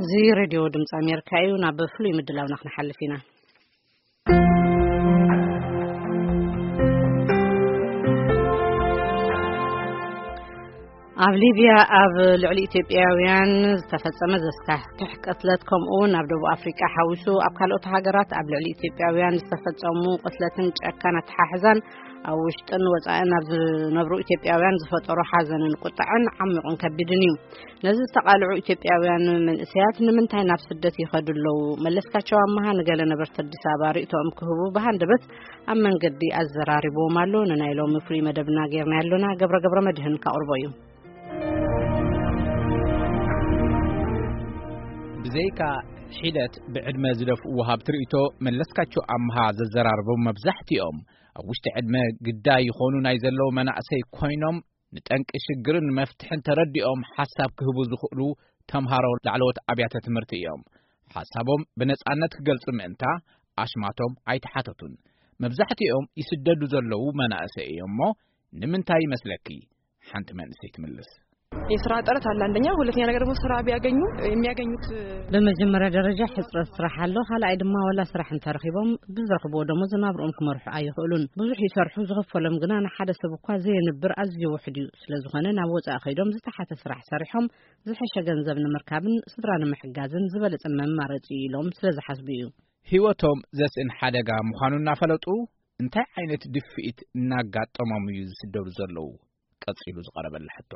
እዚ ሬድዮ ድምፂ ኣሜሪካ እዩ። ናብ ፍሉይ ምድላውና ክንሓልፍ ኢና። ኣብ ሊብያ ኣብ ልዕሊ ኢትዮጵያውያን ዝተፈጸመ ዘስካሕክሕ ቅትለት፣ ከምኡ እውን ኣብ ደቡብ ኣፍሪቃ ሓዊሱ ኣብ ካልኦት ሃገራት ኣብ ልዕሊ ኢትዮጵያውያን ዝተፈጸሙ ቅትለትን ጨካን ኣተሓሕዛን ኣብ ውሽጥን ወጻእን ኣብ ዝነብሩ ኢትዮጵያውያን ዝፈጠሮ ሓዘንን ቁጣዕን ዓሚቑን ከቢድን እዩ። ነዚ ዝተቓልዑ ኢትዮጵያውያን መንእሰያት ንምንታይ ናብ ስደት ይኸዱ ኣለዉ? መለስካቸው ኣመሃ ንገለ ነበርቲ ኣዲስ ኣበባ ርእይቶኦም ክህቡ ብሃንደበት ኣብ መንገዲ ኣዘራሪብዎም ኣሎ። ንናይ ሎሚ ፍሉይ መደብና ጌርና ያለና ገብረ ገብረ መድህን ካቕርቦ እዩ። ብዘይካ ሒደት ብዕድመ ዝደፍኡ ወሃብቲ ርእይቶ፣ መለስካቸው ኣምሃ ዘዘራርቦም መብዛሕትኦም ኣብ ውሽጢ ዕድመ ግዳይ ይኾኑ ናይ ዘለዉ መናእሰይ ኮይኖም፣ ንጠንቂ ሽግርን መፍትሕን ተረዲኦም ሓሳብ ክህቡ ዝኽእሉ ተምሃሮ ላዕለዎት ኣብያተ ትምህርቲ እዮም። ሓሳቦም ብነጻነት ክገልጹ ምእንታ ኣሽማቶም ኣይተሓተቱን። መብዛሕትኦም ይስደዱ ዘለዉ መናእሰይ እዮም እሞ፣ ንምንታይ ይመስለኪ? ሓንቲ መንእሰይ ትምልስ። የስራ ጥረት አለ አንደኛ፣ ሁለተኛ ነገር ደግሞ ስራ ቢያገኙ የሚያገኙት በመጀመሪያ ደረጃ ሕፅረት ስራሕ ኣሎ። ካልኣይ ድማ ዋላ ስራሕ እንተረኺቦም ብዝረኽብዎ ደሞዝ ናብርኦም ክመርሑ ኣይኽእሉን። ብዙሕ ይሰርሑ፣ ዝኽፈሎም ግና ንሓደ ሰብ እኳ ዘየንብር ኣዝዩ ውሑድ እዩ። ስለዝኾነ ናብ ወፃኢ ከይዶም ዝተሓተ ስራሕ ሰሪሖም ዝሐሸ ገንዘብ ንምርካብን ስድራ ንምሕጋዝን ዝበለፀ መማረፂ እዩ ኢሎም ስለዝሓስቡ እዩ። ህይወቶም ዘስእን ሓደጋ ምዃኑ እናፈለጡ እንታይ ዓይነት ድፍኢት እናጋጠሞም እዩ ዝስደዱ ዘለዉ? ቀጺሉ ዝቐረበላ ሕቶ።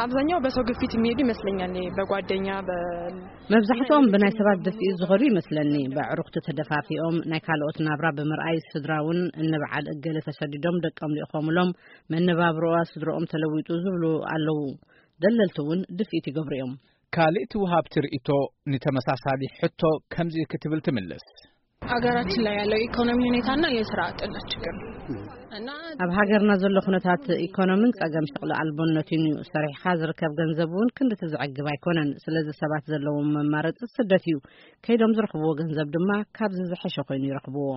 አብዛኛው በሰው ግፊት የሚሄዱ ይመስለኛል። በጓደኛ በ- መብዛሕትኦም ብናይ ሰባት ድፍኢት ዝኸዱ ይመስለኒ። በዕሩኽቲ ተደፋፊኦም ናይ ካልኦት ናብራ ብምርኣይ፣ ስድራ እውን እንበዓል እገለ ተሰዲዶም ደቆም ልእኾምሎም፣ መነባብሮኣ ስድሮኦም ተለዊጡ ዝብሉ ኣለዉ። ደለልቲ እውን ድፍኢት ይገብሩ እዮም። ካልእቲ ወሃብቲ ርእይቶ ንተመሳሳሊ ሕቶ ከምዚ ክትብል ትምልስ። ሀገራችን ላይ ያለው ኢኮኖሚ ሁኔታና የስራ አጥነት ችግር ነው። እና ኣብ ሃገርና ዘሎ ኩነታት ኢኮኖምን ጸገም ሸቕሊ ኣልቦነትን እዩ። ሰሪሕኻ ዝርከብ ገንዘብ እውን ክንድቲ ዘዕግብ ኣይኮነን። ስለዚ ሰባት ዘለዎም መማረፂ ስደት እዩ። ከይዶም ዝረኽብዎ ገንዘብ ድማ ካብዚ ዝሐሸ ኮይኑ ይረኽብዎ።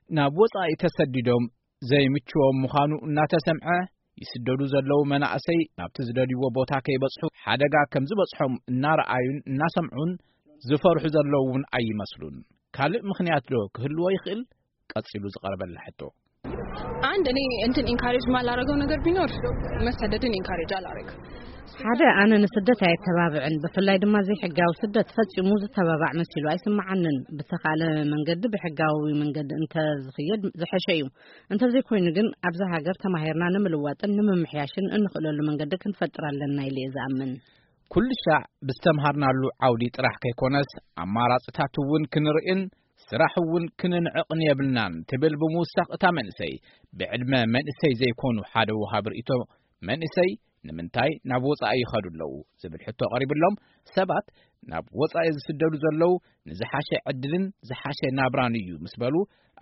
ናብ ወጻኢ ተሰዲዶም ዘይምችዎም ምዃኑ እናተሰምዐ፣ ይስደዱ ዘለዉ መናእሰይ ናብቲ ዝደልይዎ ቦታ ከይበጽሑ ሓደጋ ከም ዝበጽሖም እናረኣዩን እናሰምዑን ዝፈርሑ ዘለዉ እውን ኣይመስሉን። ካልእ ምኽንያት ዶ ክህልዎ ይኽእል? ቀጺሉ ዝቐረበላ ሕቶ። አንድ እኔ እንትን ኢንካሬጅ ማላረገው ነገር ቢኖር መሰደድን ኢንካሬጅ አላረግም። ሓደ፣ ኣነ ንስደት ኣየተባብዕን፣ ብፍላይ ድማ ዘይሕጋዊ ስደት ፈጺሙ ዝተባባዕ መሲሉ ኣይስምዓንን። ብተኻለ መንገዲ ብሕጋዊ መንገዲ እንተዝኽየድ ዝሐሸ እዩ። እንተዘይኮይኑ ግን ኣብዛ ሃገር ተማሂርና ንምልዋጥን ንምምሕያሽን እንኽእለሉ መንገዲ ክንፈጥር ኣለና ኢለ እየ ዝኣምን። ኩሉ ሻዕ ብዝተምሃርናሉ ዓውዲ ጥራሕ ከይኮነስ ኣማራፅታት እውን ክንርእን ስራሕ እውን ክንንዕቕን የብልናን ትብል ብምውሳኽ እታ መንእሰይ፣ ብዕድመ መንእሰይ ዘይኮኑ ሓደ ወሃቢ ርእይቶ፣ መንእሰይ ንምንታይ ናብ ወጻኢ ይኸዱ ኣለዉ ዝብል ሕቶ ቀሪብሎም፣ ሰባት ናብ ወጻኢ ዝስደዱ ዘለዉ ንዝሓሸ ዕድልን ዝሓሸ ናብራን እዩ ምስ በሉ፣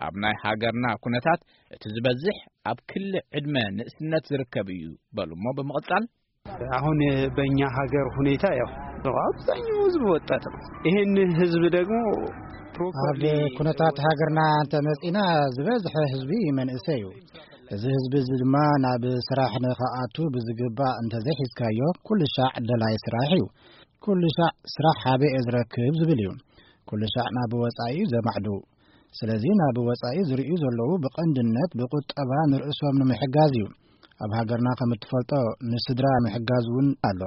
ኣብ ናይ ሃገርና ኩነታት እቲ ዝበዝሕ ኣብ ክሊ ዕድመ ንእስነት ዝርከብ እዩ በሉ እሞ ብምቕጻል፣ አሁን በእኛ ሀገር ሁኔታ ያው አብዛኛው ህዝብ ወጣት ነው። ይህን ህዝብ ደግሞ ኣብ ፕሮፐርሊ ኩነታት ሃገርና እንተመጺና ዝበዝሐ ህዝቢ መንእሰይ እዩ። እዚ ህዝቢ እዚ ድማ ናብ ስራሕ ንኽኣቱ ብዝግባእ እንተዘይሒዝካዮ ኩሉ ሻዕ ደላይ ስራሕ እዩ። ኩሉ ሻዕ ስራሕ ሃበይ እየ ዝረክብ ዝብል እዩ። ኩሉ ሻዕ ናብ ወጻኢ እዩ ዘማዕዱ። ስለዚ ናብ ወጻኢ ዝርእዩ ዘለዉ ብቐንድነት ብቁጠባ ንርእሶም ንምሕጋዝ እዩ። ኣብ ሃገርና ከም እትፈልጦ ንስድራ ምሕጋዝ እውን ኣሎ።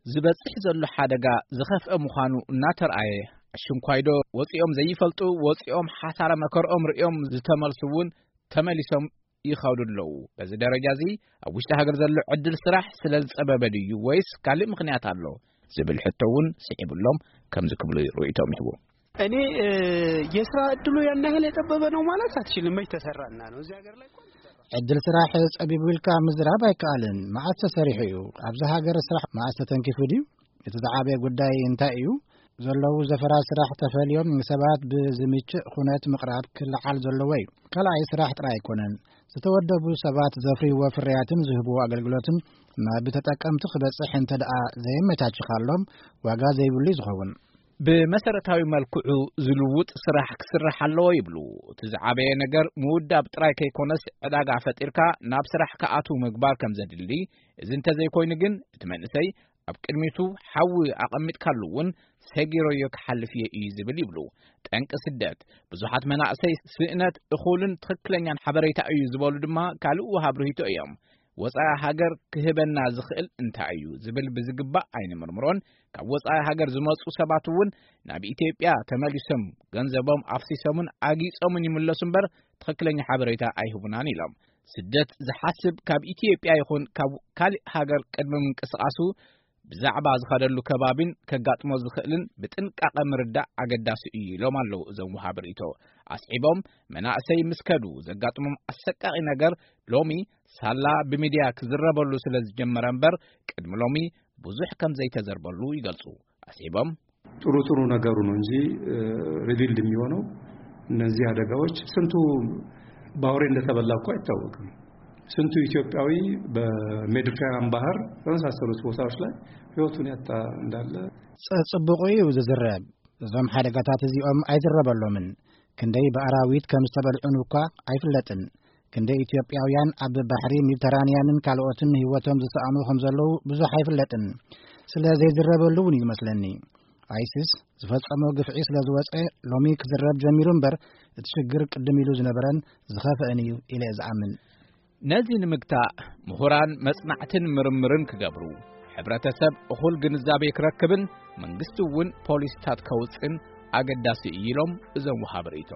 ዝበጽሕ ዘሎ ሓደጋ ዝኸፍአ ምዃኑ እናተርኣየ፣ ኣሽንኳይዶ ወጺኦም ዘይፈልጡ፣ ወጺኦም ሓሳረ መከርኦም ርእዮም ዝተመልሱ እውን ተመሊሶም ይኸዱ ኣለዉ። በዚ ደረጃ እዚ ኣብ ውሽጢ ሃገር ዘሎ ዕድል ስራሕ ስለ ዝጸበበ ድዩ ወይስ ካልእ ምኽንያት ኣሎ? ዝብል ሕቶ እውን ስዒብሎም ከምዚ ክብሉ ርእይቶም ይህቡ። እኔ እ፣ የስራ እድሉ ያን ያህል የጠበበ ነው ማለት አትችልም። መች ተሰራና ነው እዚህ ሀገር ላይ እኮ አልተሰራም። ዕድል ስራሕ ጸቢቡ ኢልካ ምዝራብ ኣይከኣልን። መዓስ ተሰሪሑ እዩ? ኣብዚ ሃገር ስራሕ መዓስ ተተንኪፉ ድዩ? እቲ ዝዓበየ ጉዳይ እንታይ እዩ? ዘለዉ ዘፈራት ስራሕ ተፈልዮም ንሰባት ብዝምችእ ኩነት ምቕራብ ክለዓል ዘለዎ እዩ። ካልኣይ ስራሕ ጥራይ ኣይኮነን። ዝተወደቡ ሰባት ዘፍርይዎ ፍርያትን ዝህብዎ ኣገልግሎትን ናብ ተጠቀምቲ ክበጽሕ እንተ ደኣ ዘየመቻችኻሎም ዋጋ ዘይብሉ እዩ ዝኸውን። ብመሰረታዊ መልክዑ ዝልውጥ ስራሕ ክስራሕ ኣለዎ ይብሉ። እቲ ዝዓበየ ነገር ምውዳብ ጥራይ ከይኮነስ ዕዳጋ ፈጢርካ ናብ ስራሕ ክኣትው ምግባር ከም ዘድሊ፣ እዚ እንተዘይኮይኑ ግን እቲ መንእሰይ ኣብ ቅድሚቱ ሓዊ ኣቐሚጥካሉ እውን ሰጊረዮ ክሓልፍ እየ እዩ ዝብል ይብሉ። ጠንቂ ስደት ብዙሓት መናእሰይ ስእነት እኹልን ትኽክለኛን ሓበሬታ እዩ ዝበሉ ድማ ካልእ ወሃብ ርሂቶ እዮም። ወጻኢ ሃገር ክህበና ዝኽእል እንታይ እዩ ዝብል ብዝግባእ ኣይንምርምሮን። ካብ ወጻኢ ሃገር ዝመጹ ሰባት እውን ናብ ኢትዮጵያ ተመሊሶም ገንዘቦም ኣፍሲሶምን ኣጊጾምን ይምለሱ እምበር ትኽክለኛ ሓበሬታ ኣይህቡናን ኢሎም። ስደት ዝሓስብ ካብ ኢትዮጵያ ይኹን ካብ ካልእ ሃገር ቅድሚ ምንቅስቓሱ ብዛዕባ ዝኸደሉ ከባቢን ከጋጥሞ ዝኽእልን ብጥንቃቐ ምርዳእ ኣገዳሲ እዩ ኢሎም ኣለዉ እዞም ወሃቢ ርእይቶ። ኣስዒቦም መናእሰይ ምስ ከዱ ዘጋጥሞም ኣሰቃቒ ነገር ሎሚ ሳላ ብሚድያ ክዝረበሉ ስለ ዝጀመረ እምበር ቅድሚ ሎሚ ብዙሕ ከም ዘይተዘርበሉ ይገልጹ። ኣስዒቦም ጥሩ ጥሩ ነገሩ ነው እንጂ ሪቪልድ የሚሆነው እነዚህ አደጋዎች ስንቱ በአውሬ እንደተበላ እኮ አይታወቅም። ስንቱ ኢትዮጵያዊ በሜዲትራኒያን ባህር በመሳሰሉት ቦታዎች ላይ ህይወቱን ያጣ እንዳለ ጽጽብቑ እዩ ዝዝረብ። እዞም ሓደጋታት እዚኦም ኣይዝረበሎምን። ክንደይ ብኣራዊት ከም ዝተበልዑን እኳ ኣይፍለጥን። ክንደይ ኢትዮጵያውያን ኣብ ባሕሪ ሜዲተራንያንን ካልኦትን ህይወቶም ዝሰኣኑ ከም ዘለዉ ብዙሕ ኣይፍለጥን። ስለ ዘይዝረበሉ እውን እዩ መስለኒ። ኣይሲስ ዝፈጸሞ ግፍዒ ስለ ዝወጸ ሎሚ ክዝረብ ጀሚሩ እምበር እቲ ሽግር ቅድም ኢሉ ዝነበረን ዝኸፍአን እዩ ኢለ እየ ዝኣምን። ነዚ ንምግታእ ምሁራን መጽናዕትን ምርምርን ክገብሩ፣ ሕብረተሰብ እኹል ግንዛቤ ክረክብን መንግስቲ እውን ፖሊስታት ከውጽን ኣገዳሲ እዩ ኢሎም እዞም ወሃቢ ርእይቶ።